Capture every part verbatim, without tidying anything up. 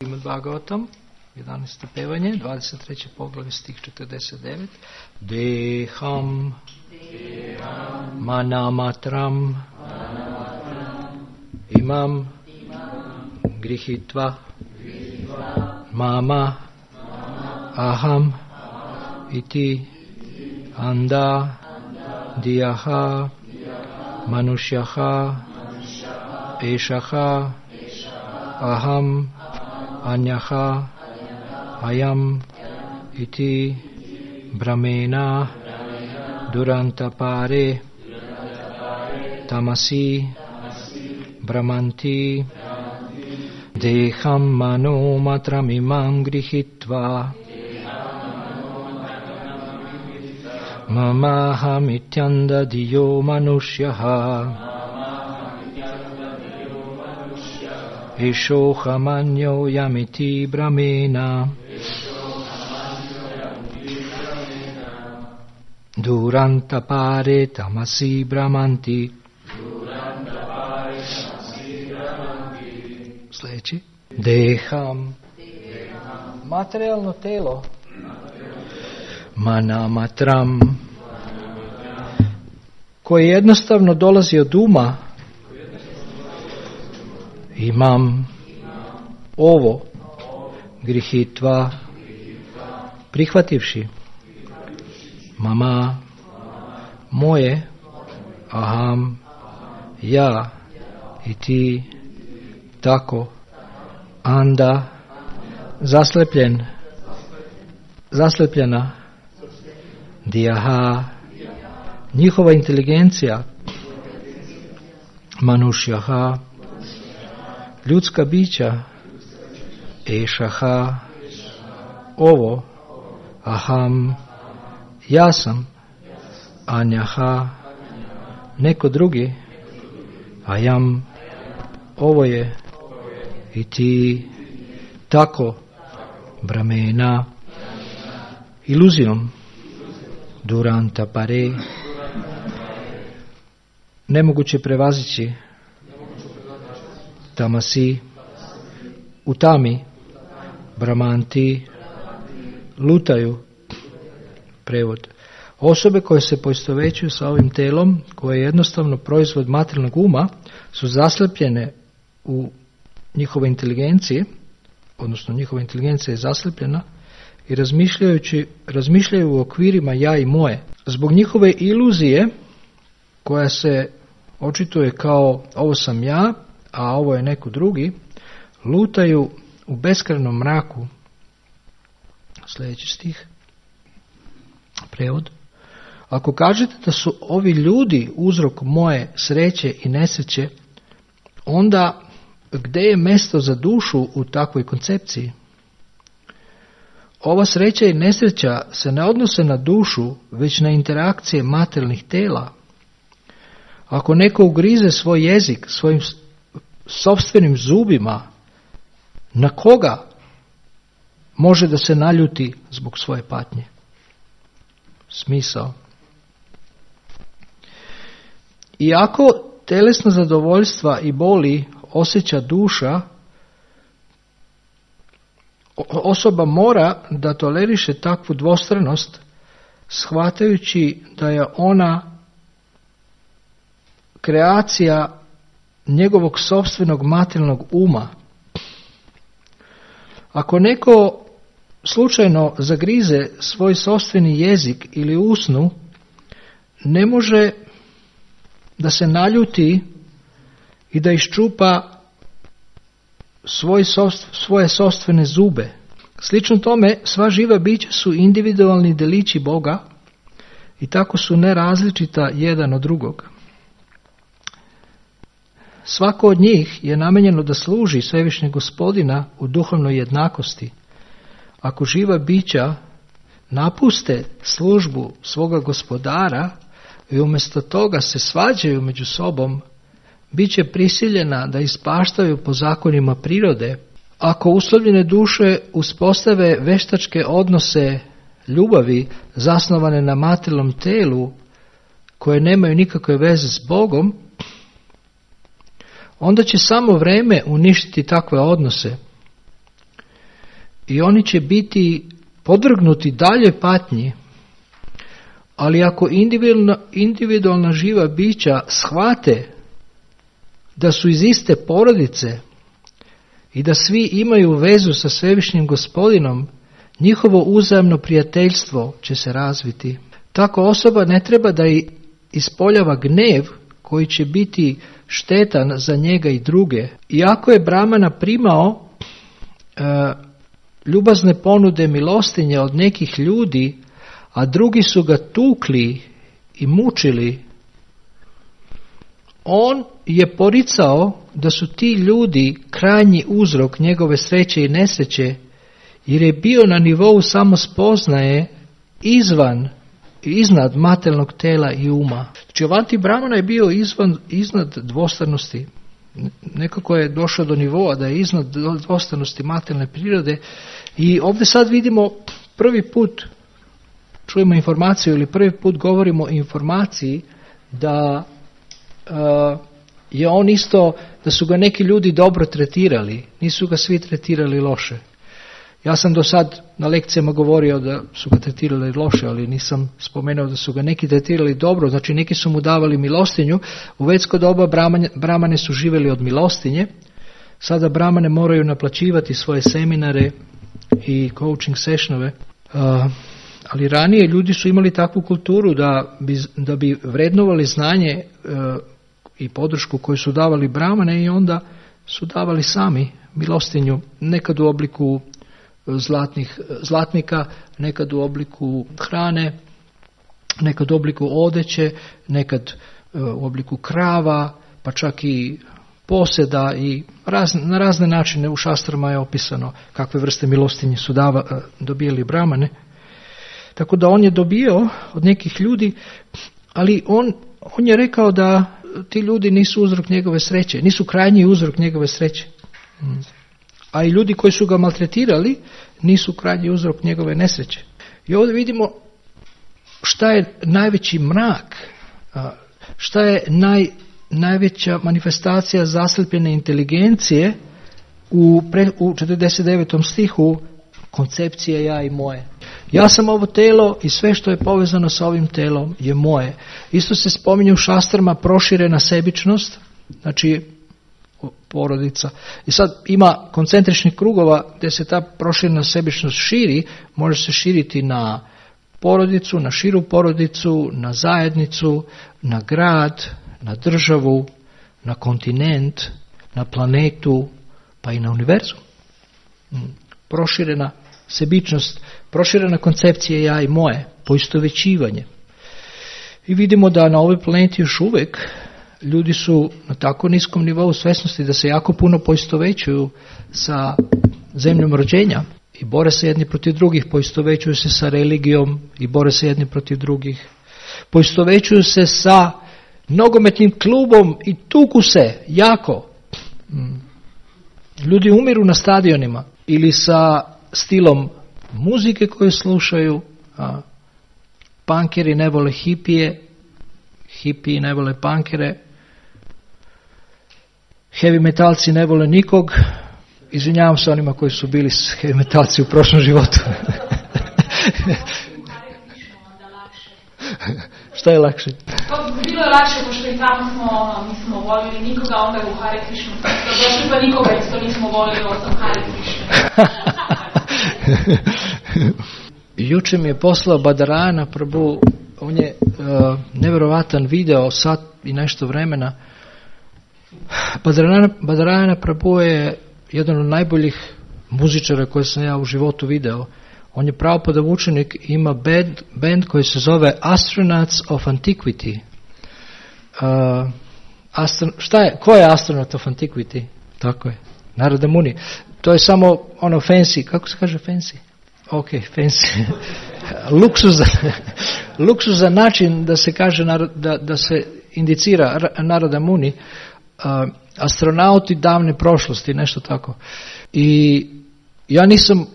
Srimad Bhagavatam, jedanaesto pevanje, dvadeset treće poglavlje, stih četrdeset devet. Deham, Deham manamatram, manamatram imam, imam grihitva, grihitva mama, mama aham, aham iti, iti anda, anda diyaha, diyaha manushyaha, manushyaha eshaha, aham anyaha ayam iti brahmena durantapare tamasi brahmanti deham mano matram imam grihitva mamaham ityanda diyo manushyaha Eshohamanyo yamiti brahmena durantapare tamasi brahmanti. Sljedeći. Deham, materijalno telo, manamatram, koje jednostavno dolazi od uma, imam ovo grihitva prihvativši mama moje aham ja i ti tako anda zaslepljen zaslepljena dijaha njihova inteligencija manušjaha ljudska bića ešaha ovo aham ja sam anjaha neko drugi ajam ovo je i ti tako brahmena iluzijom duranta pare nemoguće prevazići tamasi u tami brahmanti lutaju. Prevod. Osobe koje se poistovjećuju sa ovim telom, koje je jednostavno proizvod materijalnog uma, su zaslepljene u njihove inteligencije, odnosno njihova inteligencija je zaslepljena i razmišljajući, razmišljaju u okvirima ja i moje. Zbog njihove iluzije koja se očituje kao ovo sam ja, a ovo je neko drugi, lutaju u beskrajnom mraku. Sljedeći stih. Prevod. Ako kažete da su ovi ljudi uzrok moje sreće i nesreće, onda gdje je mjesto za dušu u takvoj koncepciji? Ova sreća i nesreća se ne odnose na dušu, već na interakcije materijalnih tela. Ako neko ugrize svoj jezik svojim sopstvenim zubima, na koga može da se naljuti zbog svoje patnje? Smisao. Iako telesna zadovoljstva i boli osjeća duša, osoba mora da toleriše takvu dvostranost, shvatajući da je ona kreacija njegovog sopstvenog materijalnog uma. Ako neko slučajno zagrize svoj sopstveni jezik ili usnu, ne može da se naljuti i da iščupa svoj sost, svoje sopstvene zube. Slično tome, sva živa bića su individualni delići Boga i tako su nerazličita jedan od drugog. Svako od njih je namijenjeno da služi Svevišnjeg Gospodina u duhovnoj jednakosti. Ako živa bića napuste službu svoga Gospodara i umjesto toga se svađaju među sobom, bit će prisiljena da ispaštaju po zakonima prirode. Ako uslovljene duše uspostave veštačke odnose ljubavi zasnovane na materijalnom telu, koje nemaju nikakve veze s Bogom, onda će samo vreme uništiti takve odnose. i oni će biti podvrgnuti dalje patnji, ali ako individualna, individualna živa bića shvate da su iz iste porodice i da svi imaju vezu sa Svevišnjim Gospodinom, njihovo uzajamno prijateljstvo će se razviti. Tako osoba ne treba da i ispoljava gnev koji će biti štetan za njega i druge. Iako je Brahmana primao e, ljubazne ponude milostinje od nekih ljudi, a drugi su ga tukli i mučili, on je poricao da su ti ljudi krajnji uzrok njegove sreće i nesreće, jer je bio na nivou samospoznaje izvan iznad materijalnog tela i uma. Znači Avanti Brahmana je bio izvan, iznad dvostranosti. Nekako je došao do nivoa da je iznad dvostranosti materijalne prirode i ovdje sad vidimo prvi put čujemo informaciju ili prvi put govorimo o informaciji da uh, je on isto, da su ga neki ljudi dobro tretirali, nisu ga svi tretirali loše. Ja sam do sad na lekcijama govorio da su ga tretirali loše, ali nisam spomenuo da su ga neki tretirali dobro, znači neki su mu davali milostinju. U vedsko doba bramane, bramane su živjeli od milostinje, sada bramane moraju naplaćivati svoje seminare i coaching sessionove, uh, ali ranije ljudi su imali takvu kulturu da bi, da bi vrednovali znanje uh, i podršku koju su davali bramane i onda su davali sami milostinju, nekad u obliku zlatnih, zlatnika, nekad u obliku hrane, nekad u obliku odeće, nekad u obliku krava, pa čak i poseda i razne, na razne načine u šastrama je opisano kakve vrste milostinje su dava, dobijali bramane. Tako da on je dobio od nekih ljudi, ali on, on je rekao da ti ljudi nisu uzrok njegove sreće, nisu krajnji uzrok njegove sreće. A i ljudi koji su ga maltretirali nisu krajnji uzrok njegove nesreće. I ovdje vidimo šta je najveći mrak, šta je naj, najveća manifestacija zaslepljene inteligencije u, pre, u četrdeset devetom stihu koncepcije ja i moje. Ja sam ovo telo i sve što je povezano sa ovim telom je moje. Isto se spominje u šastrama proširena sebičnost, znači porodica. I sad ima koncentričnih krugova gdje se ta proširena sebičnost širi, može se širiti na porodicu, na širu porodicu, na zajednicu, na grad, na državu, na kontinent, na planetu, pa i na univerzum. Proširena sebičnost, proširena koncepcija ja i moje, poistovjećivanje. I vidimo da na ovoj planeti još uvijek ljudi su na tako niskom nivou svjesnosti da se jako puno poistovjećuju sa zemljom rođenja i bore se jedni protiv drugih, poistovjećuju se sa religijom i bore se jedni protiv drugih. Poistovjećuju se sa nogometnim klubom i tuku se jako. Ljudi umiru na stadionima ili sa stilom muzike koju slušaju. A, punkeri ne vole hipije, hipiji ne vole punkere, heavy metalci ne vole nikog. Izvinjavam se onima koji su bili heavy metalci u prošlom životu. Šta je lakše? Bilo je lakše, pošto i tamo smo, nismo volili nikoga, onda je u Hare Krishnu. Došli pa nikoga isto nismo volili, osim Hare Krishnu. Juče mi je poslao Badarayana Prabhu, on je uh, nevjerovatan video, sat i nešto vremena. Badarayana, Badarayana Prabhu je jedan od najboljih muzičara koje sam ja u životu video. On je Prabhupada učenik, ima band, band koji se zove Astronauts of Antiquity. Uh, astro, šta je, ko je Astronaut of Antiquity? Tako je, Narada Muni. To je samo ono fancy, kako se kaže fancy? Ok, fancy. Luksuzan, luksuzan način da se kaže, da, da se indicira Narada Muni, uh, astronauti davne prošlosti, nešto tako. I ja nisam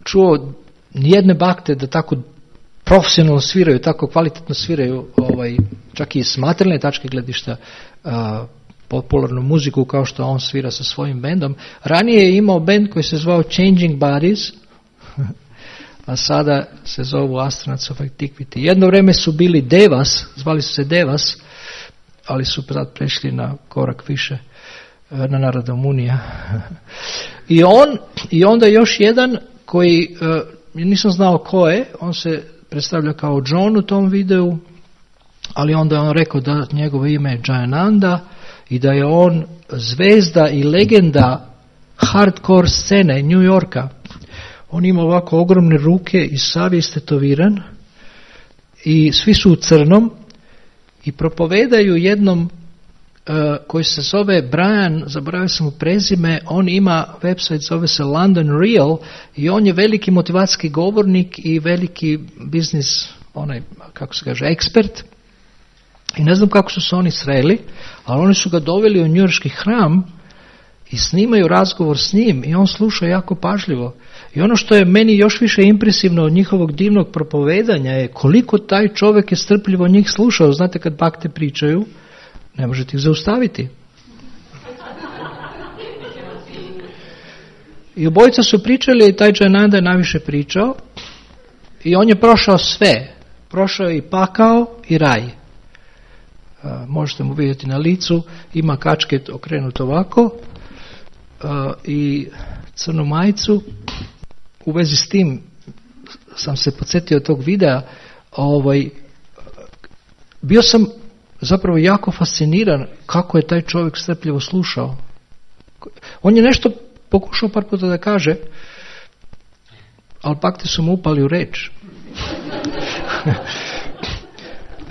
čuo nijedne bakte da tako profesionalno sviraju, tako kvalitetno sviraju, ovaj, čak i s materijalne tačke gledišta, uh, popularnu muziku kao što on svira sa svojim bendom. Ranije je imao bend koji se zvao Changing Bodies, a sada se zovu Astronauts of Antiquity. Jedno vrijeme su bili Devas, zvali su se Devas, ali su sad prešli na korak više, na Narodom Unija. I on, i onda još jedan koji, nisam znao ko je, on se predstavlja kao John u tom videu, ali onda je on rekao da njegovo ime je Jayananda i da je on zvezda i legenda hardcore scene New Yorka. On ima ovako ogromne ruke i sav je istetoviran i svi su u crnom i propovedaju jednom uh, koji se zove Brian, zaboravio sam mu prezime, on ima website, zove se London Real i on je veliki motivacijski govornik i veliki biznis, onaj, kako se kaže, ekspert. I ne znam kako su se oni sreli, ali oni su ga doveli u njujorški hram i snimaju razgovor s njim i on sluša jako pažljivo. I ono što je meni još više impresivno od njihovog divnog propovedanja je koliko taj čovjek je strpljivo njih slušao. Znate, kad bakte pričaju, ne možete ih zaustaviti. I obojica su pričali i taj Jayananda je najviše pričao i on je prošao sve. Prošao je i pakao i raj. Uh, možete mu vidjeti na licu, ima kačket okrenut ovako uh, i crnu majicu. U vezi s tim sam se podsjetio tog videa, ovaj, bio sam zapravo jako fasciniran kako je taj čovjek strpljivo slušao. On je nešto pokušao par puta da kaže, ali bakte su mu upali u reč.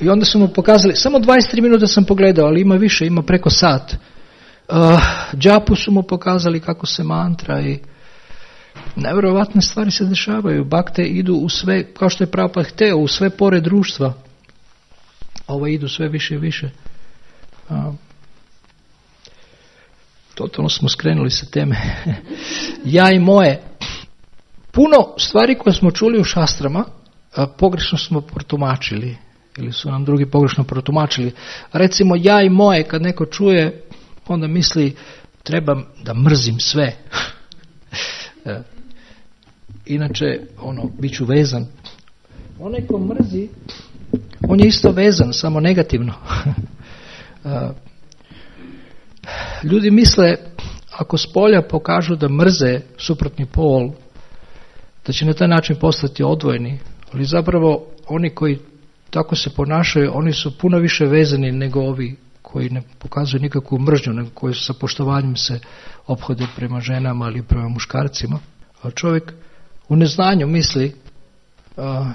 I onda su mu pokazali, samo dvadeset tri minuta sam pogledao, ali ima više, ima preko sat. Uh, džapu su mu pokazali kako se mantra i nevjerovatne stvari se dešavaju. Bakte idu u sve, kao što je Prabhupada hteo, u sve pore društva. Ovo idu sve više i više. Uh, totalno smo skrenuli sa teme. Ja i moje. Puno stvari koje smo čuli u šastrama, uh, pogrešno smo protumačili. Ili su nam drugi pogrešno protumačili. Recimo, ja i moje, kad neko čuje, onda misli, trebam da mrzim sve. Inače, ono, bit ću vezan. Onaj ko mrzi, on je isto vezan, samo negativno. Ljudi misle, ako s polja pokažu da mrze suprotni pol, da će na taj način postati odvojeni. Ali zapravo, oni koji tako se ponašaju, oni su puno više vezani nego ovi koji ne pokazuju nikakvu mržnju, nego koji sa poštovanjem se ophode prema ženama ili prema muškarcima. A čovjek u neznanju misli, a,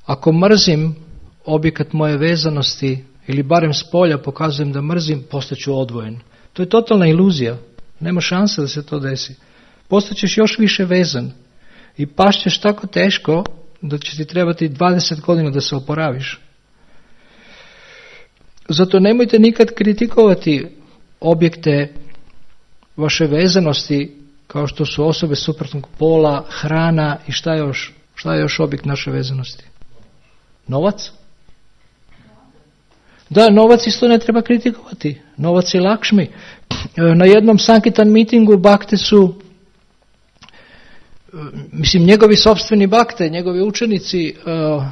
ako mrzim objekat moje vezanosti ili barem s polja pokazujem da mrzim, postaću odvojen. To je totalna iluzija. Nema šanse da se to desi. Postaćeš još više vezan i pašćeš tako teško da će ti trebati dvadeset godina da se oporaviš. Zato nemojte nikad kritikovati objekte vaše vezanosti kao što su osobe suprotnog pola, hrana i šta je još, šta je još objekt naše vezanosti? Novac? Da, novac isto ne treba kritikovati. Novac je Lakšmi. Na jednom Sankitan mitingu bakte su, mislim, njegovi sopstveni bakte, njegovi učenici uh,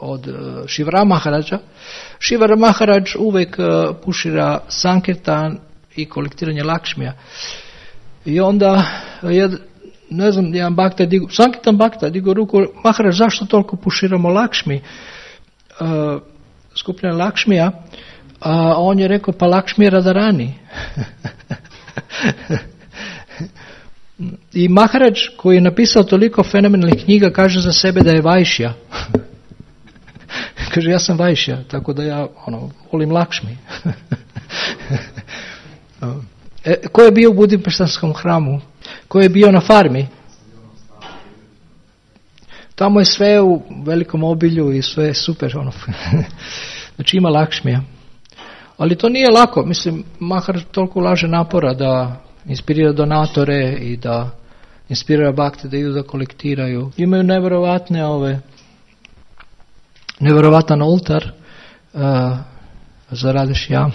od uh, Šivara Maharađa. Šivara Maharađ uvijek uh, pušira Sankirtan i kolektiranje Lakšmija. I onda, jed, ne znam, jedan bakta digu, Sankirtan bakta digu ruku, Maharađ, zašto toliko puširamo Lakšmi? Uh, skupljanje Lakšmija, a on je rekao, pa Lakšmi je Radharani. I Maharađ, koji je napisao toliko fenomenalnih knjiga, kaže za sebe da je Vajšja. Kaže, ja sam Vajšja, tako da ja ono, volim Lakšmi. E, ko je bio u Budimpeštanskom hramu? Ko je bio na farmi? Tamo je sve u velikom obilju i sve super. Ono. Znači ima Lakšmija. Ali to nije lako. Mislim, Maharađ toliko ulaže napora da inspirira donatore i da inspirira bakte da idu da kolektiraju. Imaju nevjerovatne ove, nevjerovatan oltar. Uh, Zaradiš jam.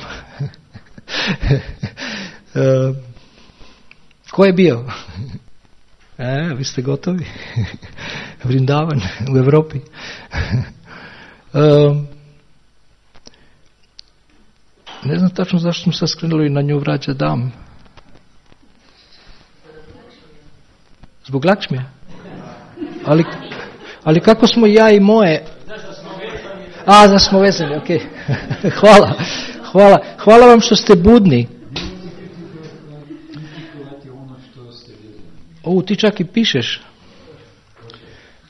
e, ko je bio? E, vi ste gotovi? Vrindavan u Europi. e, ne znam tačno zašto smo sad skrenuli na nju vraća dam. Zbog Lakšmija? Ali, ali kako smo ja i moje... A, da smo vezani, ok. Hvala, hvala. Hvala vam što ste budni. O, ti čak i pišeš.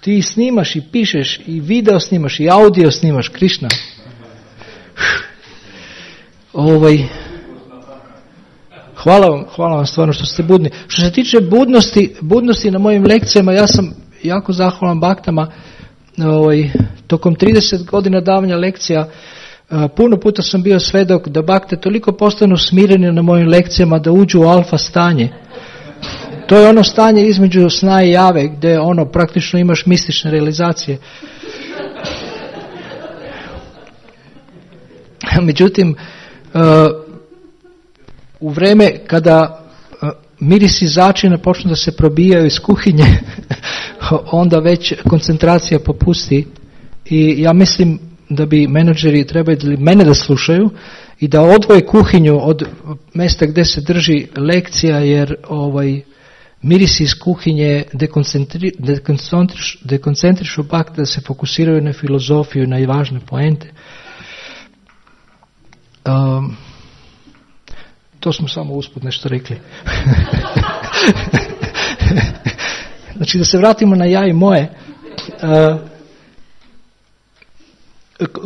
Ti snimaš i pišeš i video snimaš i audio snimaš, Krišna. Ovaj... Hvala vam, hvala vam stvarno što ste budni. Što se tiče budnosti, budnosti na mojim lekcijama, ja sam jako zahvalan baktama. Ovaj, tokom trideset godina davanja lekcija, puno puta sam bio svedok da bakte toliko postanu smireni na mojim lekcijama da uđu u alfa stanje. To je ono stanje između sna i jave, gdje ono praktično imaš mistične realizacije. Međutim, u vreme kada mirisi začina počnu da se probijaju iz kuhinje, onda već koncentracija popusti i ja mislim da bi menadžeri trebali mene da slušaju i da odvoje kuhinju od mjesta gdje se drži lekcija, jer ovaj mirisi iz kuhinje dekoncentri, dekoncentriš, dekoncentrišu bak da se fokusiraju na filozofiju i na važne poente. Um, to smo samo usput nešto rekli. Znači, da se vratimo na ja i moje. Uh,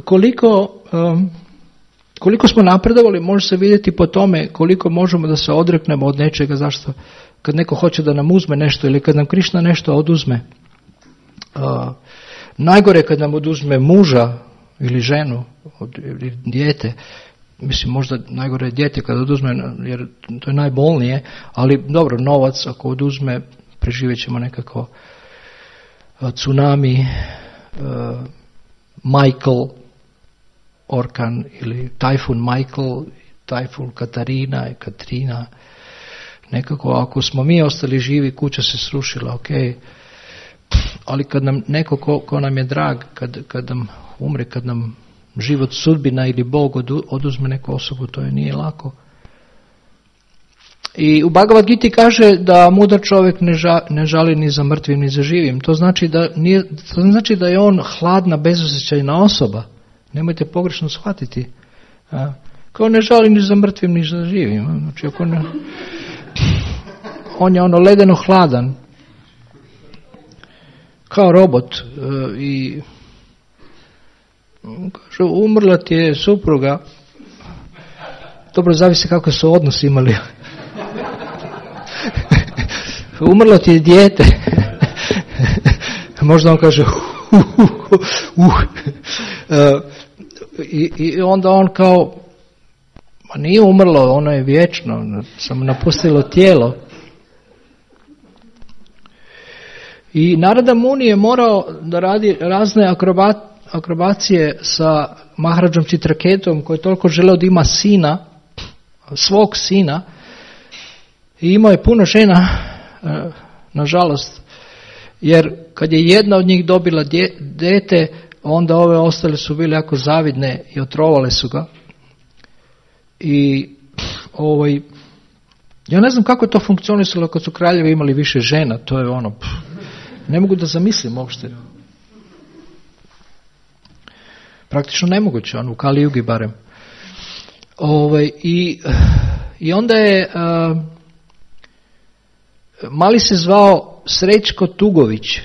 koliko, um, koliko smo napredovali, može se vidjeti po tome koliko možemo da se odreknemo od nečega. Zašto? Kad neko hoće da nam uzme nešto ili kad nam Krišna nešto oduzme. Uh, najgore kad nam oduzme muža ili ženu od, ili dijete. Mislim, možda najgore je dijete kad oduzme, jer to je najbolnije, ali dobro, novac ako oduzme, preživjet ćemo nekako. Tsunami, uh, Michael, orkan ili tajfun Michael, tajfun Katarina i Katrina. Nekako ako smo mi ostali živi, kuća se srušila, ok. Ali kad nam neko ko, ko nam je drag, kad, kad nam umre, kad nam život, sudbina ili Bog oduzme neku osobu, to je nije lako. I u Bhagavad Giti kaže da mudar čovjek ne, ža, ne žali ni za mrtvim ni za živim. To znači da, nije, to znači da je on hladna, bezosjećajna osoba. Nemojte pogrešno shvatiti. A, kao ne žali ni za mrtvim ni za živim. Znači, ako ne, on je ono ledeno hladan. Kao robot. E, I kaže, umrla ti je supruga. Dobro, zavisi kako su odnosi imali. Umrlo ti je dijete. Možda on kaže uh, uh, uh, uh. Uh, i, i onda on kao, ma nije umrlo, ono je vječno, samo napustilo tijelo. I Narada Muni je morao da radi razne akrobat, akrobacije sa Maharadžom Čitraketom, koji je toliko želeo da ima sina, svog sina, i imao je puno žena, nažalost, jer kad je jedna od njih dobila dete, onda ove ostale su bile jako zavidne i otrovale su ga. I ovaj, ja ne znam kako je to funkcionisalo kad su kraljevi imali više žena, to je ono, pff, ne mogu da zamislim uopšte. Praktično nemoguće, ono, u Kali Jugi barem. Ovaj, i, I onda je, uh, mali se zvao Srećko Tugović.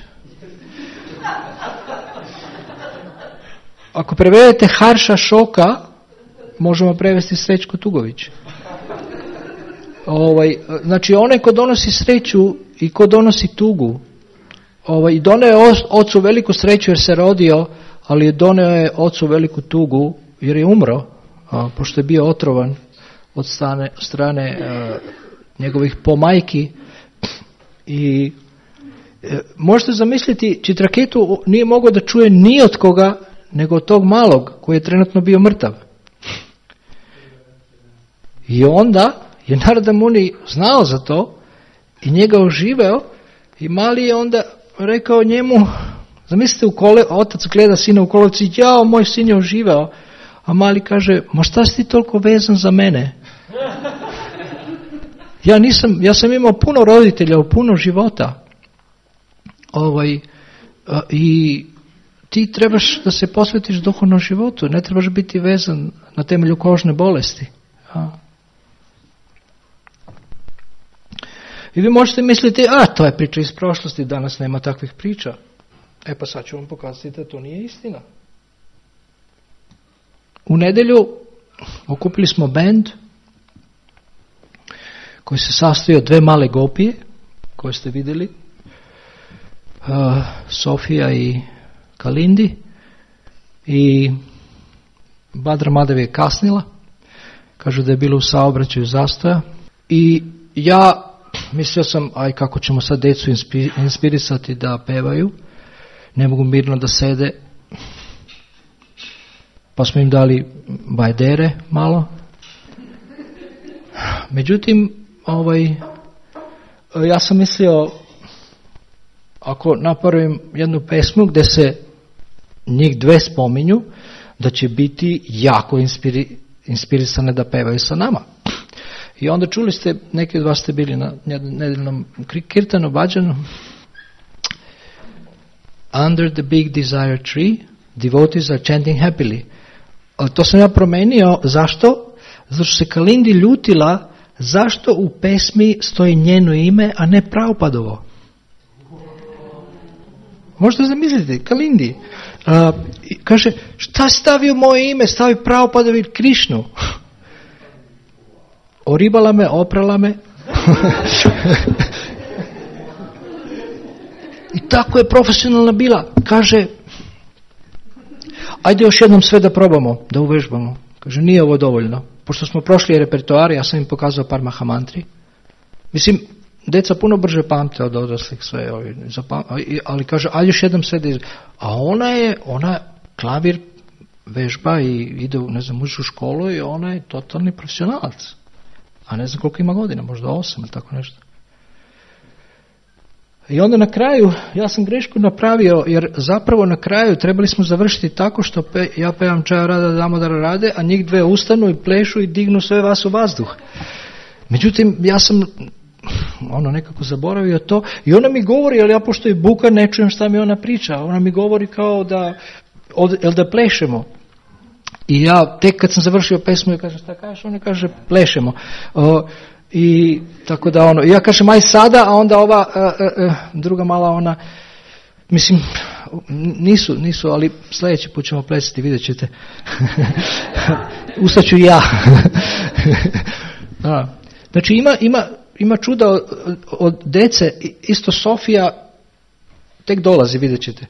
Ako prevedete Harša Šoka, možemo prevesti Srećko Tugović. Ovaj, znači, onaj ko donosi sreću i ko donosi tugu. Ovaj, I doneo je ocu veliku sreću jer se rodio, ali doneo je ocu veliku tugu jer je umro, a, pošto je bio otrovan od strane, strane a, njegovih pomajki. I e, možete zamisliti, Čitraketu nije mogao da čuje ni od koga nego od tog malog koji je trenutno bio mrtav. I onda je Narada Muni znao za to i njega oživeo i mali je onda rekao njemu, zamislite, u kole, otac gleda sina u kolovci, jao, moj sin je oživeo, a mali kaže, ma šta si ti toliko vezan za mene? Ja nisam, ja sam imao puno roditelja u puno života. Ovaj, i ti trebaš da se posvetiš duhovnom životu, ne trebaš biti vezan na temelju kožne bolesti. Ja. I vi možete misliti, a to je priča iz prošlosti, danas nema takvih priča. E pa sad ću vam pokazati da to nije istina. U nedjelju okupili smo bend koji se sastoji od dve male gopije koje ste vidjeli, uh, Sofija i Kalindi, i Badra Madev je kasnila, kažu da je bilo u saobraćaju zastoja, i ja mislio sam, aj kako ćemo sad djecu inspirisati da pevaju, ne mogu mirno da sede, pa smo im dali bajdere malo. Međutim, ovaj, ja sam mislio, ako napravim jednu pesmu gdje se njih dve spominju, da će biti jako inspiri, inspirisane da pevaju sa nama. I onda čuli ste, neki od vas ste bili na nedeljnom kirtanu, bađanu. Under the big desire tree, devotees are chanting happily. To sam ja promenio, zašto? Zato što se Kalindi ljutila, zašto u pesmi stoji njeno ime, a ne Prabhupadovo. Možete zamisliti, Kalindi. Uh, kaže, šta stavio moje ime, stavi Prabhupadovi Krišnu. Oribala me, oprala me. I tako je profesionalna bila. Kaže, ajde još jednom sve da probamo, da uvežbamo. Kaže, nije ovo dovoljno. Pošto smo prošli repertoar, ja sam im pokazao par mahamantri. Mislim, deca puno brže pamte od odraslih sve, ali kaže, ajde još jednom sve da iz... A ona je, ona klavir vežba i ide u, ne znam, uči u školu i ona je totalni profesionalac. A ne znam koliko ima godina, možda osam ili tako nešto. I onda na kraju, ja sam grešku napravio, jer zapravo na kraju trebali smo završiti tako što pe, ja pevam Čaja Rada Damodara Rade, a njih dve ustanu i plešu i dignu sve vas u vazduh. Međutim, ja sam ono nekako zaboravio to i ona mi govori, ali ja pošto je buka ne čujem šta mi ona priča. Ona mi govori kao da, od, el da plešemo. I ja tek kad sam završio pesmu i kažem šta kažeš, ona kaže plešemo. O, I tako da ono, ja kažem aj sada, a onda ova uh, uh, druga mala ona, mislim, nisu, nisu, ali sljedeći put ćemo plesati, vidjet ćete. Ustaću i ja. A, znači ima, ima, ima čuda od, od dece, isto Sofija tek dolazi, vidjet ćete.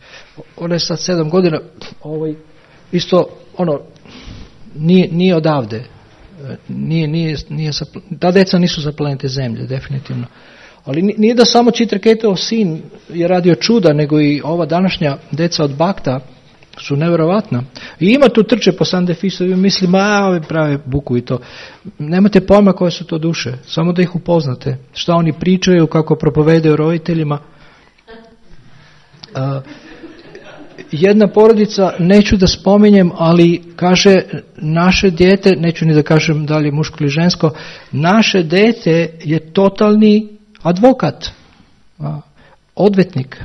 Ona je sad sedam godina, ovaj, isto ono, nije, nije odavde. Nije, nije, nije sa, ta deca nisu sa planete Zemlje, definitivno. Ali nije da samo Čitraketov sin je radio čuda, nego i ova današnja deca od Bakta su nevjerovatna. I ima tu trče po Sandefisu i misli, ma ove prave buku i to. Nemate pojma koje su to duše, samo da ih upoznate. Šta oni pričaju, kako propovedaju roditeljima. Uh, Jedna porodica, neću da spominjem, ali kaže naše dijete, neću ni da kažem da li je muško ili žensko, naše dijete je totalni advokat, a, odvetnik.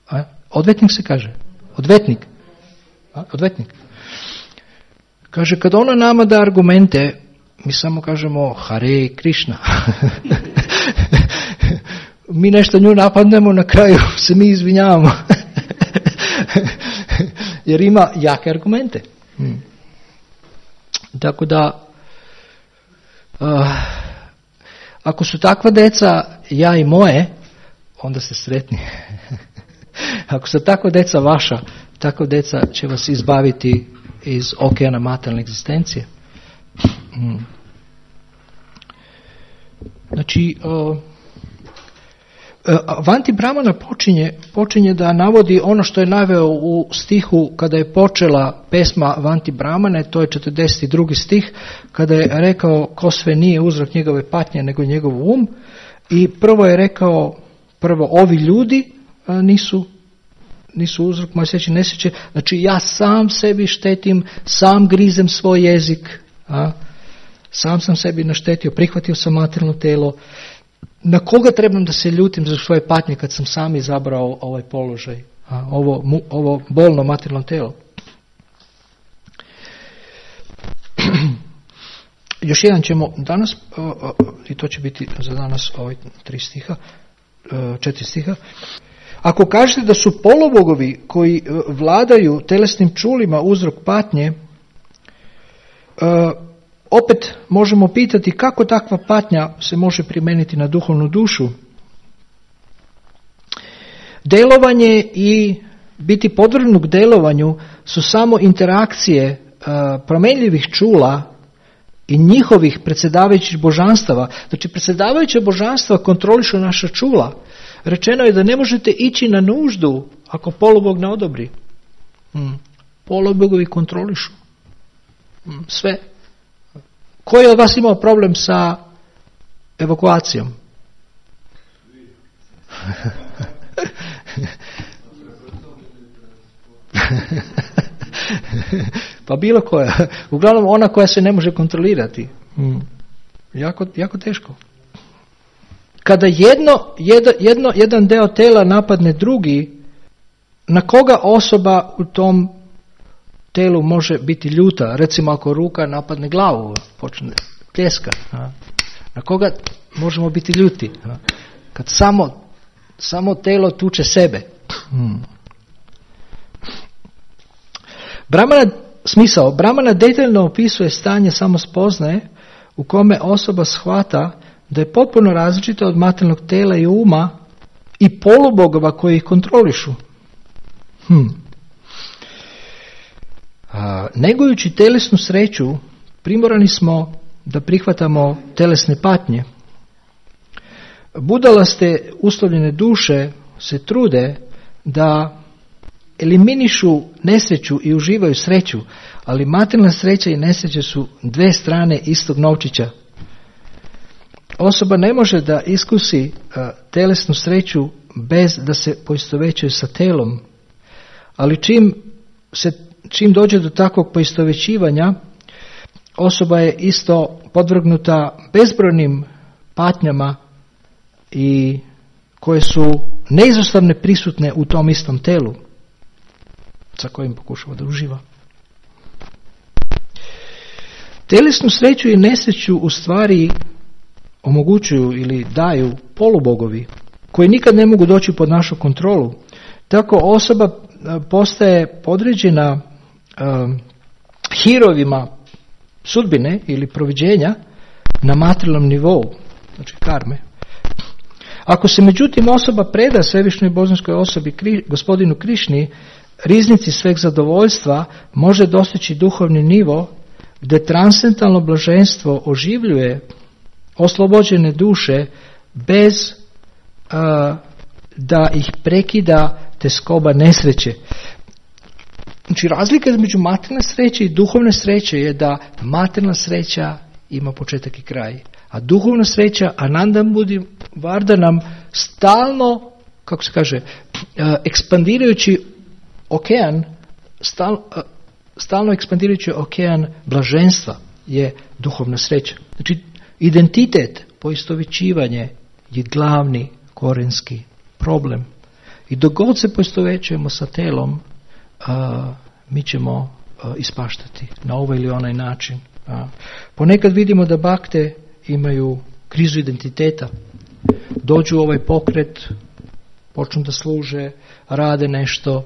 A, odvetnik se kaže, odvetnik. A, odvetnik. Kaže, kad ona nama da argumente, mi samo kažemo Hare Krishna. Mi nešto nju napadnemo, na kraju se mi izvinjavamo. Jer ima jake argumente. Hmm. Tako da uh, ako su takva deca, ja i moje, onda ste sretni. Ako su takva deca vaša, takva deca će vas izbaviti iz okeana materijalne egzistencije. Hmm. Znači, uh, Vanti Brahmana počinje, počinje da navodi ono što je naveo u stihu kada je počela pesma Vanti Brahmane, to je četrdeset drugi stih, kada je rekao ko sve nije uzrok njegove patnje nego njegov um, i prvo je rekao, prvo ovi ljudi nisu, nisu uzrok moje sreće, nesreće, znači ja sam sebi štetim, sam grizem svoj jezik, a, sam sam sebi naštetio, prihvatio sam materijalno telo. Na koga trebam da se ljutim za svoje patnje kad sam sam izabrao ovaj položaj, a, ovo, mu, ovo bolno materijalno telo? Još jedan ćemo danas, uh, uh, i to će biti za danas ovaj tri stiha, uh, četiri stiha. Ako kažete da su polubogovi koji uh, vladaju telesnim čulima uzrok patnje, uh, opet možemo pitati kako takva patnja se može primijeniti na duhovnu dušu. Delovanje i biti podvrgnut delovanju su samo interakcije uh, promenljivih čula i njihovih predsjedavajućih božanstava. Znači, predsjedavajuća božanstva kontrolišu naša čula. Rečeno je da ne možete ići na nuždu ako polubog ne odobri. Hmm. Polubogovi kontrolišu hmm. sve. Ko je od vas imao problem sa evakuacijom? Pa bilo koja. Uglavnom ona koja se ne može kontrolirati. Hmm. Jako, jako teško. Kada jedno, jedno, jedno, jedan deo tela napadne drugi, na koga osoba u tom telu može biti ljuta? Recimo ako ruka napadne glavu, počne pljeska. Na koga možemo biti ljuti? Kad samo, samo telo tuče sebe. Hmm. Brahmana, smisao, Brahmana detaljno opisuje stanje samospoznaje u kome osoba shvata da je potpuno različita od materijalnog tela i uma i polubogova koji ih kontrolišu. Hmm. A, negujući telesnu sreću, primorani smo da prihvatamo telesne patnje. Budalaste uslovljene duše se trude da eliminišu nesreću i uživaju sreću, ali materijalna sreća i nesreća su dve strane istog novčića. Osoba ne može da iskusi uh, telesnu sreću bez da se poistovećuje sa telom, ali čim, se, čim dođe do takvog poistovećivanja, osoba je isto podvrgnuta bezbrojnim patnjama i koje su neizostavne prisutne u tom istom telu sa kojim pokušava da uživa. Telesnu sreću i nesreću u stvari omogućuju ili daju polubogovi koji nikad ne mogu doći pod našu kontrolu. Tako osoba postaje podređena uh, hirovima sudbine ili proviđenja na materijalnom nivou, znači karme. Ako se međutim osoba preda svevišnjoj božanskoj osobi kri, gospodinu Krišni, riznici sveg zadovoljstva, može dostići duhovni nivo gdje transcendentalno blaženstvo oživljuje oslobođene duše bez uh, da ih prekida teskoba nesreće. Znači, razlika između materijalne sreće i duhovne sreće je da materijalna sreća ima početak i kraj, a duhovna sreća, Anandam Budi Varda nam stalno, kako se kaže, uh, ekspandirajući okean, stal, uh, stalno ekspandirajući okean blaženstva je duhovna sreća. Znači, identitet, poistovjećivanje je glavni korenski problem. I dok god se poistovjećujemo sa telom, a, mi ćemo a, ispaštati na ovaj ili onaj način. A. Ponekad vidimo da bakte imaju krizu identiteta. Dođu u ovaj pokret, počnu da služe, rade nešto,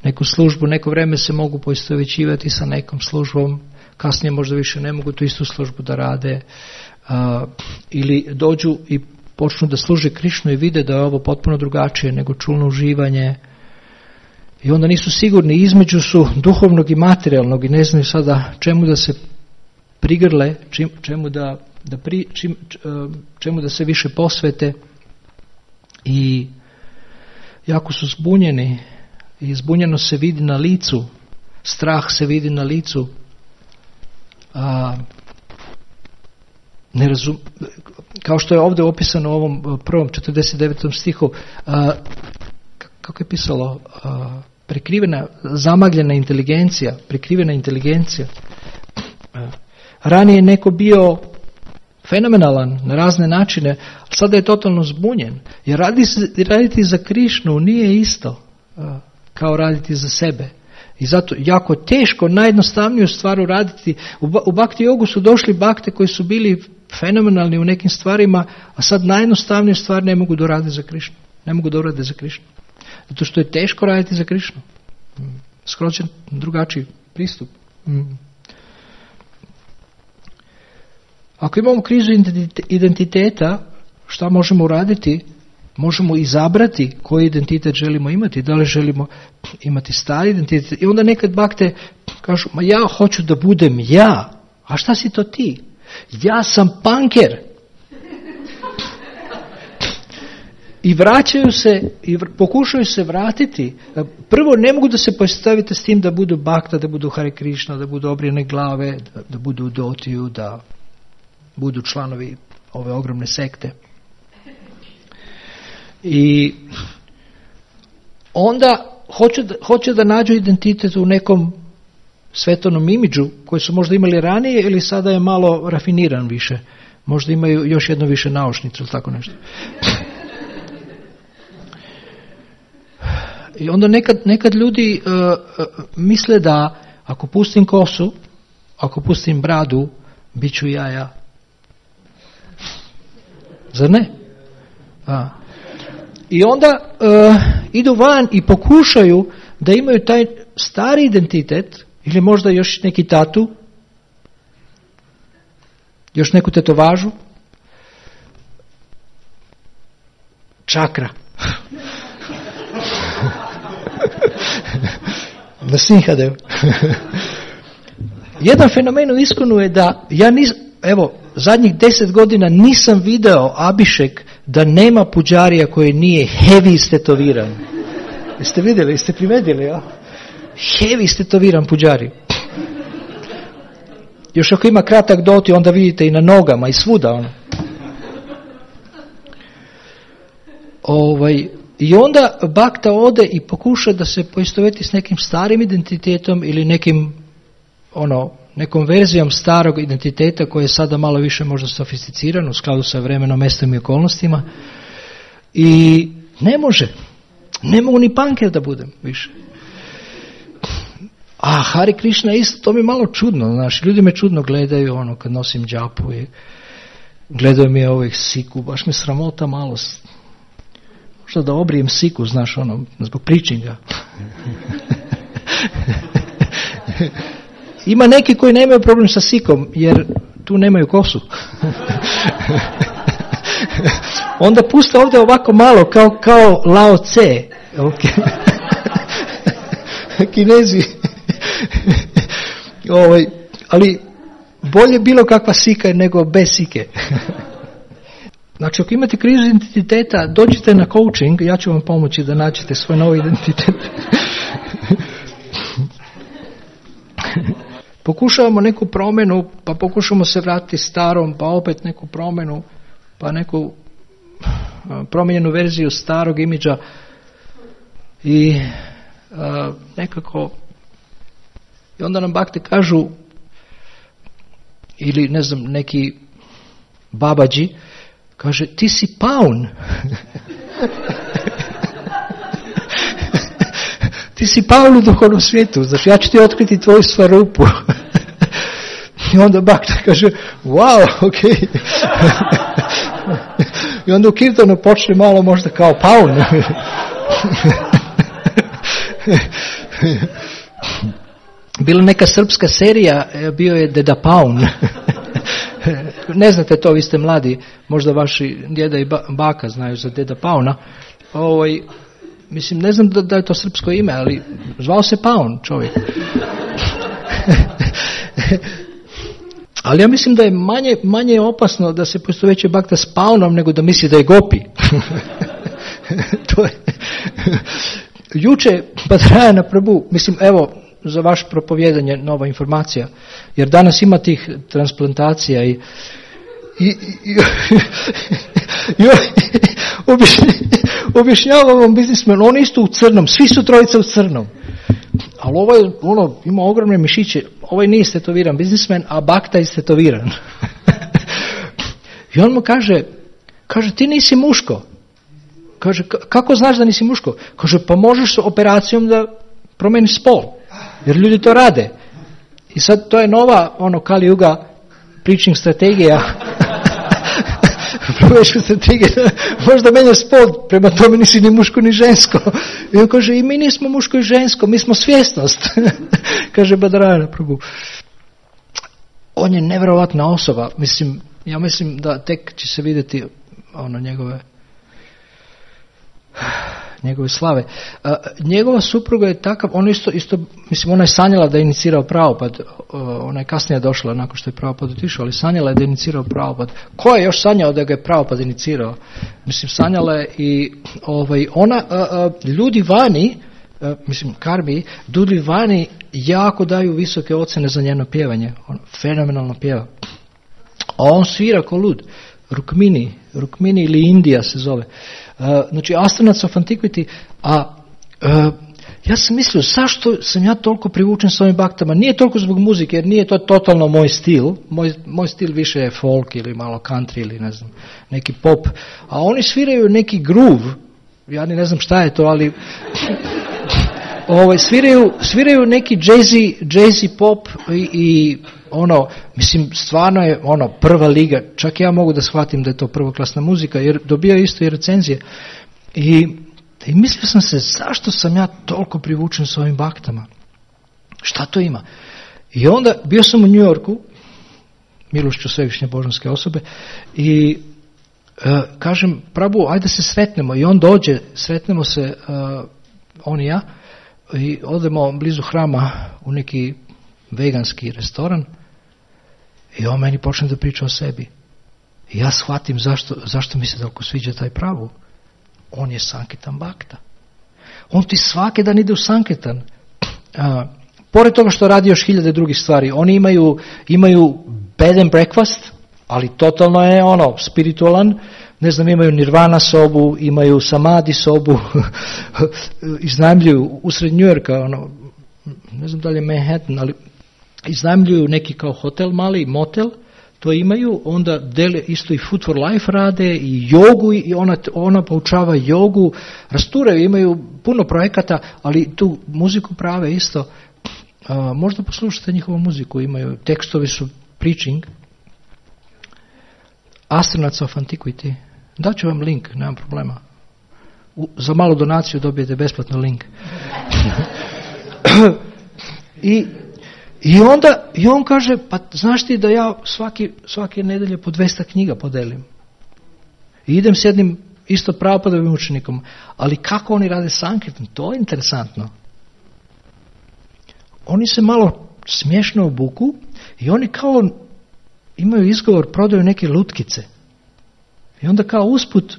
neku službu, neko vreme se mogu poistovjećivati sa nekom službom, kasnije možda više ne mogu tu istu službu da rade, uh, ili dođu i počnu da služe Krišnu i vide da je ovo potpuno drugačije nego čulno uživanje i onda nisu sigurni, između su duhovnog i materijalnog i ne znaju sada čemu da se prigrle, čim, čemu, da, da pri, čim, čemu da se više posvete i jako su zbunjeni i zbunjenost se vidi na licu, strah se vidi na licu. A, ne razum, kao što je ovdje opisano u ovom prvom četrdeset devetom stihu, a, kako je pisalo, a, prekrivena, zamagljena inteligencija, prekrivena inteligencija. A, ranije je neko bio fenomenalan na razne načine, ali sada je totalno zbunjen. Jer raditi, raditi za Krišnu nije isto a, kao raditi za sebe. I zato jako teško, najjednostavniju stvar uraditi. U, u Bhakti jogu su došli bakte koji su bili fenomenalni u nekim stvarima, a sad najjednostavniju stvar ne mogu doraditi za Krišnu. Ne mogu doraditi za Krišnu. Zato što je teško raditi za Krišnu. Skroz je drugačiji pristup. Ako imamo krizu identiteta, šta možemo uraditi? Možemo izabrati koji identitet želimo imati. Da li želimo imati stari identitet? I onda nekad bakte kažu, ma ja hoću da budem ja. A šta si to ti? Ja sam punker. I vraćaju se, i pokušaju se vratiti. Prvo, ne mogu da se postavite s tim da budu bakta, da budu Hare Krishna, da budu obrijene glave, da, da budu u dotiju, da budu članovi ove ogromne sekte. I onda hoće da, hoće da nađu identitet u nekom svetovnom imidžu koji su možda imali ranije ili sada je malo rafiniran više. Možda imaju još jedno više naušnicu ili tako nešto. I onda nekad, nekad ljudi uh, uh, misle da ako pustim kosu, ako pustim bradu, bit ću ja ja. Zar ne? A. I onda uh, idu van i pokušaju da imaju taj stari identitet ili možda još neki tatu, još neku tetovažu, čakra. Na Sinhadev. Jedan fenomen u Iskonu je da ja nis, evo, zadnjih deset godina nisam video Abhišek da nema puđarija koji nije heavy istetoviran. Jeste vidjeli, jeste primetili, ja? Heavy istetoviran puđari. Još ako ima kratak doti, onda vidite i na nogama i svuda ono. Ovaj, I onda bakta ode i pokuša da se poistoveti s nekim starim identitetom ili nekim, ono, nekom verzijom starog identiteta koji je sada malo više možda sofisticiran u skladu sa vremenom, mestom i okolnostima. I ne može. Ne mogu ni punker da budem više. A Hare Krishna isto, to mi je malo čudno, znaš, ljudi me čudno gledaju ono kad nosim džapu i gledaju mi ovih siku, baš me sramota malo, možda da obrijem siku, znaš, ono, zbog pričinga. Ima neki koji nemaju problem sa sikom, jer tu nemaju kosu. Onda puste ovdje ovako malo, kao, kao Lao Tse. Okay. Kinezi. Ovaj, ali bolje bilo kakva sika nego bez sike. Znači, ako imate krizu identiteta, dođite na coaching, ja ću vam pomoći da nađete svoj novi identitet. Pokušavamo neku promjenu, pa pokušamo se vratiti starom, pa opet neku promjenu, pa neku promijenjenu verziju starog imidža i uh, nekako i onda nam bakte kažu ili ne znam neki babađi kaže ti si paun. Ti si paun u duhovnom svijetu, znači ja ću ti otkriti tvoju svarupu. I onda bakta kaže wow, ok. I onda u kirtanu počne malo možda kao paun. Bila neka srpska serija, bio je Deda Paun. Ne znate to, vi ste mladi, možda vaši djeda i baka znaju za Deda Pauna. Ovaj, mislim, ne znam da, da je to srpsko ime, ali zvao se Paun čovjek. Ali ja mislim da je manje, manje opasno da se poistovećuje bakta s Paunom nego da misli da je gopi. to je. Juče Badarayana Prabhu, mislim, evo, za vaše propovijedanje nova informacija, jer danas ima tih transplantacija i i, i, i, i objašnjava ovom biznismenu, on isto u crnom, svi su trojica u crnom, ali ovaj ono, ima ogromne mišiće, ovaj nije istetoviran biznismen, a Bhakta je istetoviran. I on mu kaže, kaže, ti nisi muško. Kaže, kako znaš da nisi muško? Kaže, pa možeš s operacijom da promeniš spol, jer ljudi to rade. I sad to je nova, ono, Kali Yuga preaching strategija. Promeniška strategija, možda menjaš spol, prema tome nisi ni muško ni žensko. I on kaže, i mi nismo muško i žensko, mi smo svjesnost. Kaže Badarayana Prabhu. On je nevjerovatna osoba, mislim, ja mislim da tek će se vidjeti ono njegove njegove slave. Uh, njegova supruga je takav, on isto, isto, mislim, ona je sanjala da je inicirao Prabhupada, uh, ona je kasnije došla nakon što je Prabhupada otišao, ali sanjala je da je inicirao Prabhupada. Ko je još sanjao da ga je Prabhupada inicirao? Mislim, sanjala je i ovaj, ona, uh, uh, ljudi vani, uh, mislim, Karmi, ljudi vani jako daju visoke ocjene za njeno pjevanje. On fenomenalno pjeva. A on svira ko lud. Rukmini, Rukmini ili Indija se zove. Uh, znači, Astronauts of Antiquity, a uh, ja sam mislio, zašto sam ja toliko privučen s ovim baktama? Nije toliko zbog muzike, jer nije to totalno moj stil. Moj, moj stil više je folk ili malo country ili ne znam, neki pop. A oni sviraju neki groove, ja ne znam šta je to, ali ovaj, sviraju, sviraju neki jazzy, jazzy pop i, i ono, mislim, stvarno je ono prva liga, čak ja mogu da shvatim da je to prvoklasna muzika, jer dobija isto i recenzije. I, i mislio sam se, zašto sam ja toliko privučen s ovim baktama? Šta to ima? I onda, bio sam u New Yorku, milošću svevišnje božanske osobe, i uh, kažem, Prabhu, ajde se sretnemo. I on dođe, sretnemo se, uh, on i ja, i odemo blizu hrama u neki veganski restoran i on meni počne da priča o sebi. I ja shvatim zašto, zašto mi se toliko sviđa taj Prabhu. On je Sanketan Bhakta. On ti svaki dan ide u Sanketan. A, pored toga što radi još hiljade drugih stvari, oni imaju, imaju bed and breakfast, ali totalno je ono spiritualan. Ne znam, imaju nirvana sobu, imaju samadhi sobu, iznajmljuju usred New Yorka, ono, ne znam da li je Manhattan, ali iznajmljuju neki kao hotel mali, motel, to imaju, onda dele isto i Food for Life rade i jogu, i ona, ona poučava jogu, rasturaju, imaju puno projekata, ali tu muziku prave isto. A, možda poslušate njihovu muziku, imaju, tekstovi su preaching. Astronauts of Antiquity. Daću vam link, nemam problema. U, za malu donaciju dobijete besplatno link. I, i onda i on kaže, pa znaš ti da ja svaki, svake nedelje po dvesta knjiga podelim. I idem s jednim isto Prabhupadovim učenikom. Ali kako oni rade Sankirtan? To je interesantno. Oni se malo smiješno obuku i oni kao imaju izgovor, prodaju neke lutkice. I onda kao usput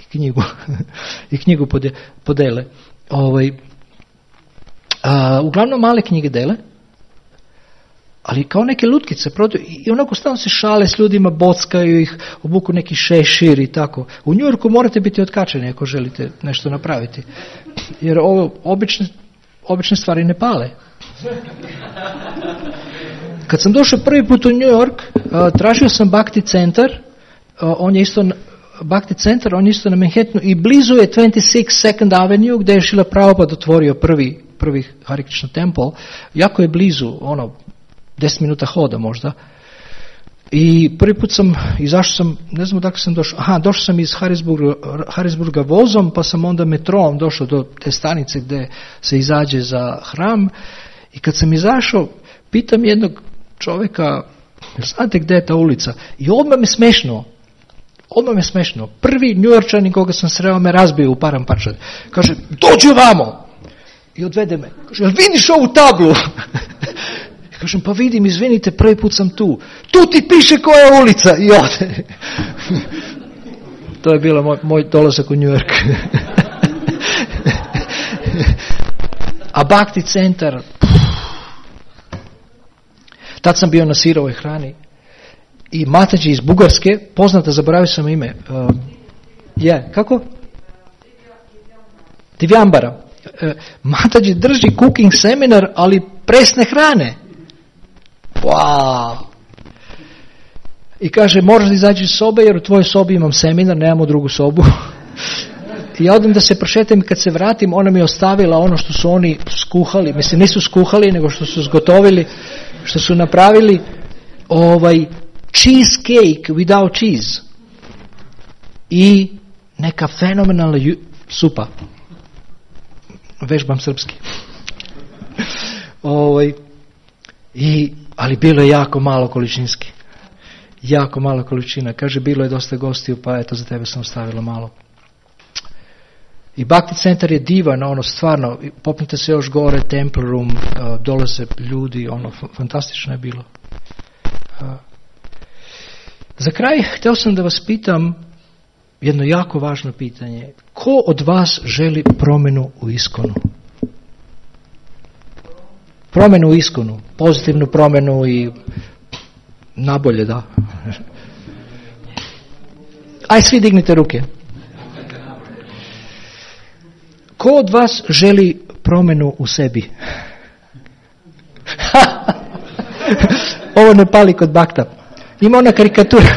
i knjigu, i knjigu podele. Ovaj, a, uglavnom male knjige dele, ali kao neke lutkice prodaju. I onako stalno se šale s ljudima, bockaju ih, obuku neki šešir i tako. U New Yorku morate biti otkačeni ako želite nešto napraviti. Jer ovo obične, obične stvari ne pale. Kad sam došao prvi put u New York, uh, tražio sam Bhakti centar, uh, on je isto Bhakti centar, on je isto na Manhattanu i blizu je dvadeset šest Second Avenue gdje je Šrila Prabhupada otvorio prvi, prvi Hare Krishna Temple. Jako je blizu, ono, deset minuta hoda možda. I prvi put sam, izašao sam, ne znam odakle sam došao, aha, došao sam iz Harrisburga, Harrisburga vozom, pa sam onda metrom došao do te stanice gdje se izađe za hram. I kad sam izašao, pitam jednog čovjeka, znate gdje je ta ulica? I odmah me smešno, odmah me smešno. Prvi Njujorčanin koga sam sreo me razbio u Paramparčad. Kaže, dođi ovamo! I odvede me. Kaže, jel vidiš ovu tablu? I kažem, pa vidim, izvinite, prvi put sam tu. Tu ti piše koja je ulica. I ode. To je bilo moj, moj dolazak u New York. A Bhakti centar, tad sam bio na sirovoj hrani i Mataji iz Bugarske, poznata, zaboravio sam ime, uh, je, kako? Divjambara. Uh, Mataji drži cooking seminar, ali presne hrane. Wow. I kaže, moraš da izađi iz sobe, jer u tvojoj sobi imam seminar, nemamo drugu sobu. I ja odem da se prošetam i kad se vratim, ona mi je ostavila ono što su oni skuhali. Mislim, nisu skuhali, nego što su zgotovili, što su napravili ovaj cheesecake without cheese. I neka fenomenalna ju- supa. Vežbam srpski. ovaj, i, ali bilo je jako malo količinski. Jako malo količina. Kaže, bilo je dosta gostiju, pa eto, za tebe sam ostavila malo. I Bhakti centar je divan, ono, stvarno, popnite se još gore, Temple Room, uh, dolaze ljudi, ono, f- fantastično je bilo. Uh, za kraj, htio sam da vas pitam jedno jako važno pitanje. Ko od vas želi promjenu u iskonu? Promjenu u iskonu, pozitivnu promjenu i nabolje, da. Aj, svi dignite ruke. Ko od vas želi promjenu u sebi? Ovo ne pali kod Bhakta. Ima ona karikatura.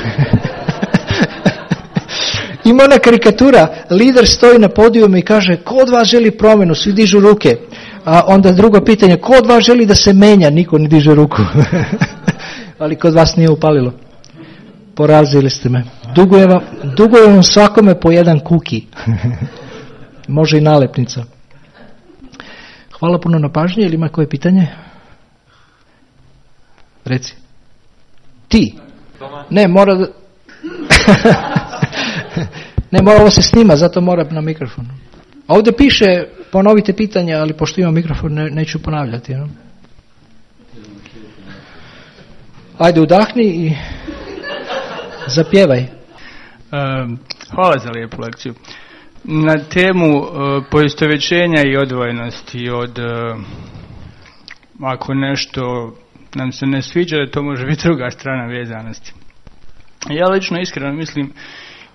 Ima ona karikatura. Lider stoji na podijumu i kaže, ko od vas želi promjenu? Svi dižu ruke. A onda drugo pitanje, ko od vas želi da se menja? Niko ne diže ruku. Ali kod vas nije upalilo. Porazili ste me. Dugujem vam, dugujem vam svakome po jedan kuki. Može i nalepnica. Hvala puno na pažnji. Ili ima koje pitanje? Reci. Ti? Ne, mora da... ne, mora ovo se snima, zato mora na mikrofonu. A ovdje piše, ponovite pitanje, ali pošto imam mikrofon, ne, neću ponavljati. No? Ajde, udahni i zapjevaj. Um, hvala za lijepu lekciju. Na temu uh, poistovjećenja i odvojenosti od uh, ako nešto nam se ne sviđa, to može biti druga strana vezanosti. Ja lično iskreno mislim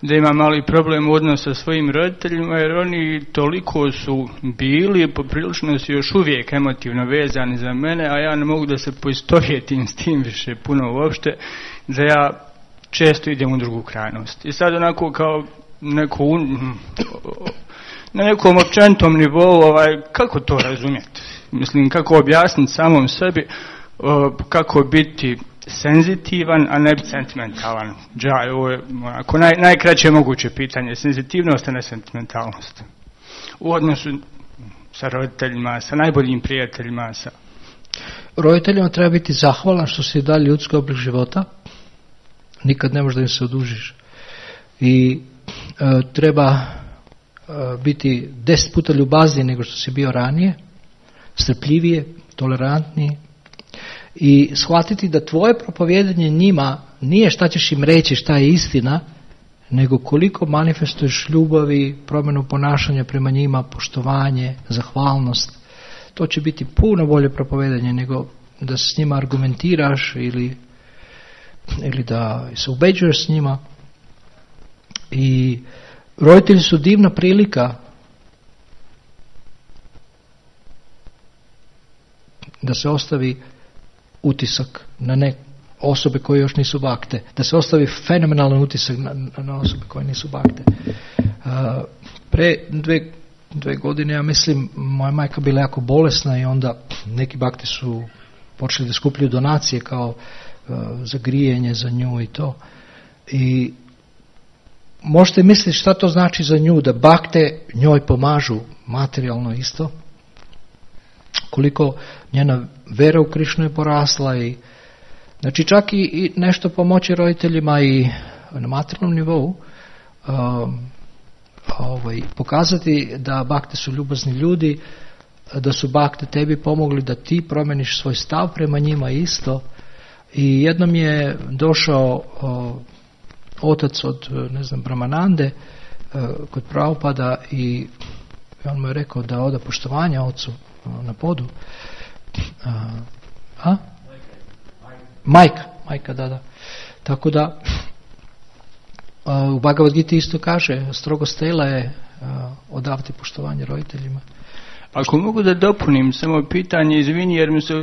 da imam mali problem u odnosu sa svojim roditeljima, jer oni toliko su bili, poprilično su još uvijek emotivno vezani za mene, a ja ne mogu da se poistovjetim s tim više puno uopšte, da ja često idem u drugu krajnost. I sad onako kao neko un, na nekom općenitom nivou, ovaj, kako to razumjeti? Mislim, kako objasniti samom sebi, kako biti senzitivan, a ne biti sentimentalan. Džaj, ovo je onako naj, najkraće moguće pitanje. Senzitivnost, a ne sentimentalnost. U odnosu sa roditeljima, sa najboljim prijateljima. Sa... Roditeljima treba biti zahvalan što si dali ljudski oblik života. Nikad ne možeš da im se odužiš. I e, treba e, biti deset puta ljubazniji nego što si bio ranije, strpljivije, tolerantniji i shvatiti da tvoje propovijedanje njima nije šta ćeš im reći, šta je istina, nego koliko manifestuješ ljubavi, promjenu ponašanja prema njima, poštovanje, zahvalnost. To će biti puno bolje propovijedanje nego da s njima argumentiraš ili, ili da se ubeđuješ s njima. I roditelji su divna prilika da se ostavi utisak na ne osobe koje još nisu bakte, da se ostavi fenomenalan utisak na, na osobe koje nisu bakte. Uh, pre dve, dve godine, ja mislim, moja majka bila jako bolesna i onda neki bakti su počeli da skupljaju donacije kao uh, za grijenje za nju i to. I možete misliti šta to znači za nju, da bakte njoj pomažu materijalno isto, koliko njena vera u Krišnu je porasla i znači čak i, i nešto pomoći roditeljima i na materijalnom nivou, um, ovaj, pokazati da bakte su ljubazni ljudi, da su bakte tebi pomogli da ti promeniš svoj stav prema njima isto. I jednom je došao o, otac od, ne znam, Brahmanande kod Prabhupada i on mu je rekao da oda poštovanja ocu na podu. A? Majka, majka, da, da. Tako da u Bhagavad Gita isto kaže, strogo stela je odavati poštovanje roditeljima. Ako mogu da dopunim samo pitanje, izvini, jer mi se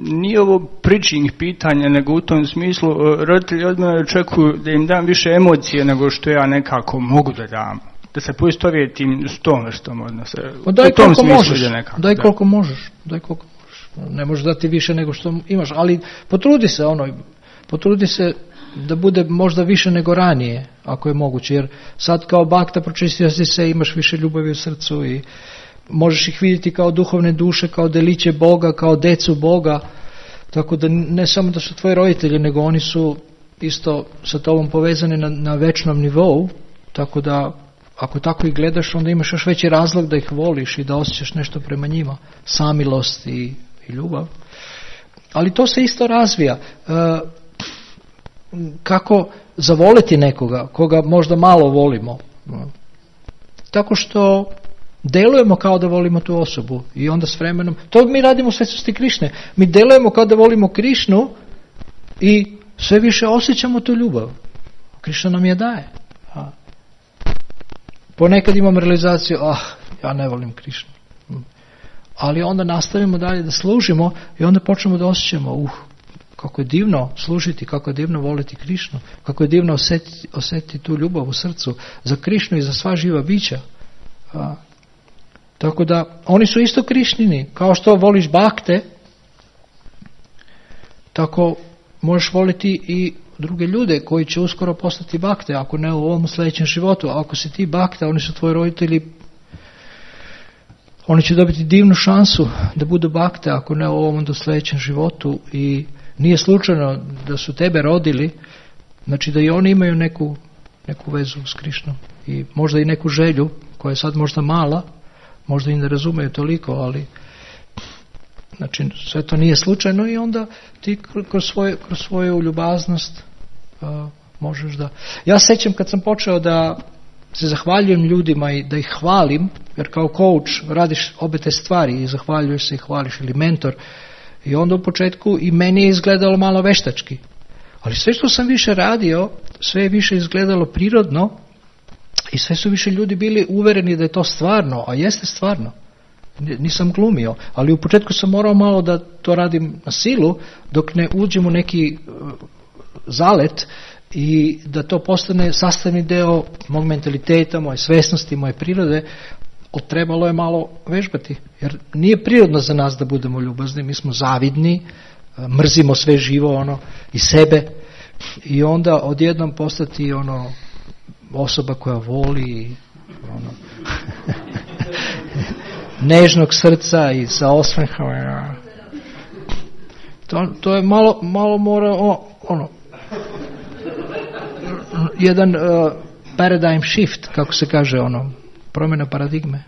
nije ovo preaching pitanja, nego u tom smislu roditelji od mene očekuju da im dam više emocije nego što ja nekako mogu da dam. Da se poistovjetim s tom vrstom odnosa. O, daj koliko možeš, nekako, daj koliko da. možeš, daj koliko možeš. Ne možeš dati više nego što imaš, ali potrudi se ono, potrudi se da bude možda više nego ranije, ako je moguće, jer sad kao bakta pročistio si se, imaš više ljubavi u srcu i možeš ih vidjeti kao duhovne duše, kao deliće Boga, kao decu Boga, tako da ne samo da su tvoji roditelji, nego oni su isto sa tobom povezani na, na večnom nivou, tako da ako tako ih gledaš, onda imaš još veći razlog da ih voliš i da osjećaš nešto prema njima, samilost i, i ljubav. Ali to se isto razvija. E, kako zavoliti nekoga, koga možda malo volimo? Tako što delujemo kao da volimo tu osobu i onda s vremenom, to mi radimo u svetosti Krišne, mi delujemo kao da volimo Krišnu i sve više osjećamo tu ljubav. Krišna nam je daje. A. Ponekad imam realizaciju, ah, ja ne volim Krišnu. Ali onda nastavimo dalje da služimo i onda počnemo da osjećamo, uh, kako je divno služiti, kako je divno voliti Krišnu, kako je divno osjetiti, osjetiti tu ljubav u srcu za Krišnu i za sva živa bića. A. Tako da, oni su isto Krišnini, kao što voliš bakte, tako možeš voliti i druge ljude koji će uskoro postati bakte, ako ne u ovom sljedećem životu. Ako si ti bakta, oni su tvoji roditelji, oni će dobiti divnu šansu da budu bakte, ako ne u ovom do sljedećem životu, i nije slučajno da su tebe rodili, znači da i oni imaju neku, neku vezu s Krišnom i možda i neku želju koja je sad možda mala, možda i ne razumeju toliko, ali znači sve to nije slučajno i onda ti kroz, svoje, kroz svoju ljubaznost uh, možeš da... Ja sećam kad sam počeo da se zahvaljujem ljudima i da ih hvalim, jer kao coach radiš obe te stvari i zahvaljuješ se i hvališ, ili mentor, i onda u početku i meni je izgledalo malo veštački, ali sve što sam više radio, sve je više izgledalo prirodno i sve su više ljudi bili uvereni da je to stvarno, a jeste stvarno. Nisam glumio, ali u početku sam morao malo da to radim na silu dok ne uđem u neki uh, zalet i da to postane sastavni deo mog mentaliteta, moje svesnosti, moje prirode. Trebalo je malo vežbati, jer nije prirodno za nas da budemo ljubazni, mi smo zavidni, mrzimo sve živo, ono, i sebe, i onda odjednom postati ono osoba koja voli, ono, nežnog srca i sa osmehom. To, to je malo, malo mora o, ono jedan uh, paradigm shift, kako se kaže, ono, promjena paradigme.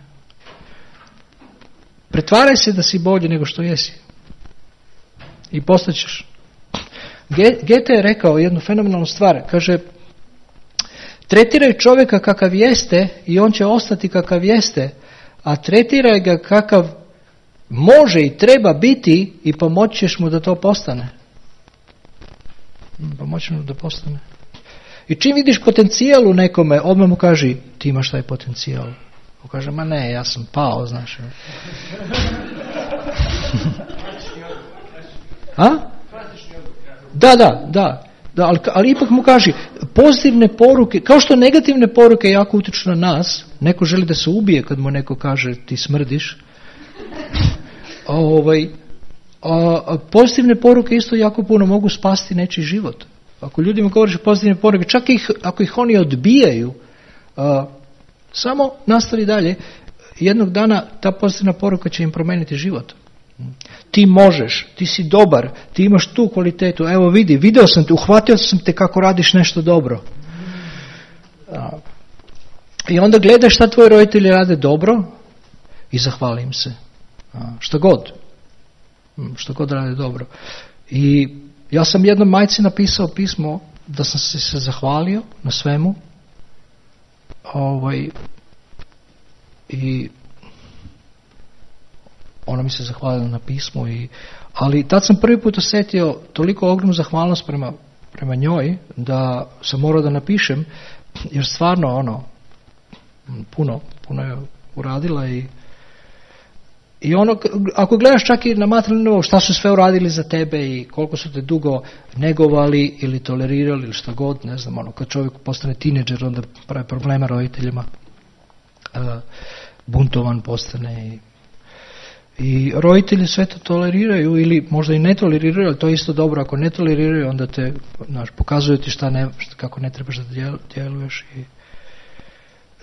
Pretvaraj se da si bolji nego što jesi i postaćeš. Goethe je rekao jednu fenomenalnu stvar, kaže: tretiraj čovjeka kakav jeste i on će ostati kakav jeste, a tretiraj ga kakav može i treba biti i pomoći ćeš mu da to postane. Pomoći mu da postane. I čim vidiš potencijal u nekome, odmah mu kaži: ti imaš taj potencijal. On kaže: ma ne, ja sam pao, znaš. A? Da, da, da. da ali, ali ipak mu kaži, pozitivne poruke, kao što negativne poruke jako utječu na nas, neko želi da se ubije kad mu neko kaže ti smrdiš. A, ovaj, a, a pozitivne poruke isto jako puno mogu spasti nečiji život. Ako ljudima govoriš pozitivne poruke, čak ih, ako ih oni odbijaju, a, samo nastavi dalje. Jednog dana ta pozitivna poruka će im promijeniti život. Ti možeš, ti si dobar, ti imaš tu kvalitetu, evo vidi, video sam te, uhvatio sam te kako radiš nešto dobro. A, I onda gledaš šta tvoji roditelji rade dobro i zahvali im se. A, šta god. Šta god rade dobro. I ja sam jednom majci napisao pismo da sam se, se zahvalio na svemu. Ovaj, i ona mi se zahvalila na pismu, i, ali tad sam prvi put osjetio toliko ogromnu zahvalnost prema, prema njoj da sam morao da napišem, jer stvarno ono puno, puno je uradila. i I ono, ako gledaš čak i na materijalnom nivou šta su sve uradili za tebe i koliko su te dugo negovali ili tolerirali ili šta god, ne znam, ono, kad čovjek postane tineđer onda pravi problema roditeljima, uh, buntovan postane i, i roditelji sve to toleriraju ili možda i ne toleriraju, ali to je isto dobro, ako ne toleriraju onda te, znaš, pokazuju ti šta ne, šta, kako ne trebaš da djeluješ. I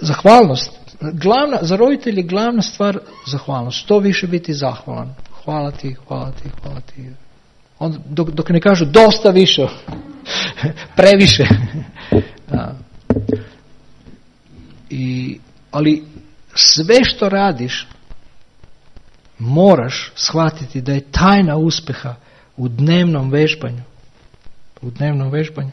zahvalnost. Glavna, za roditelje glavna stvar zahvalnost. Što više biti zahvalan. Hvala ti, hvala ti, hvala ti. Onda, dok, dok ne kažu dosta više, previše. Da. I, ali sve što radiš moraš shvatiti da je tajna uspjeha u dnevnom vežbanju. U dnevnom vežbanju.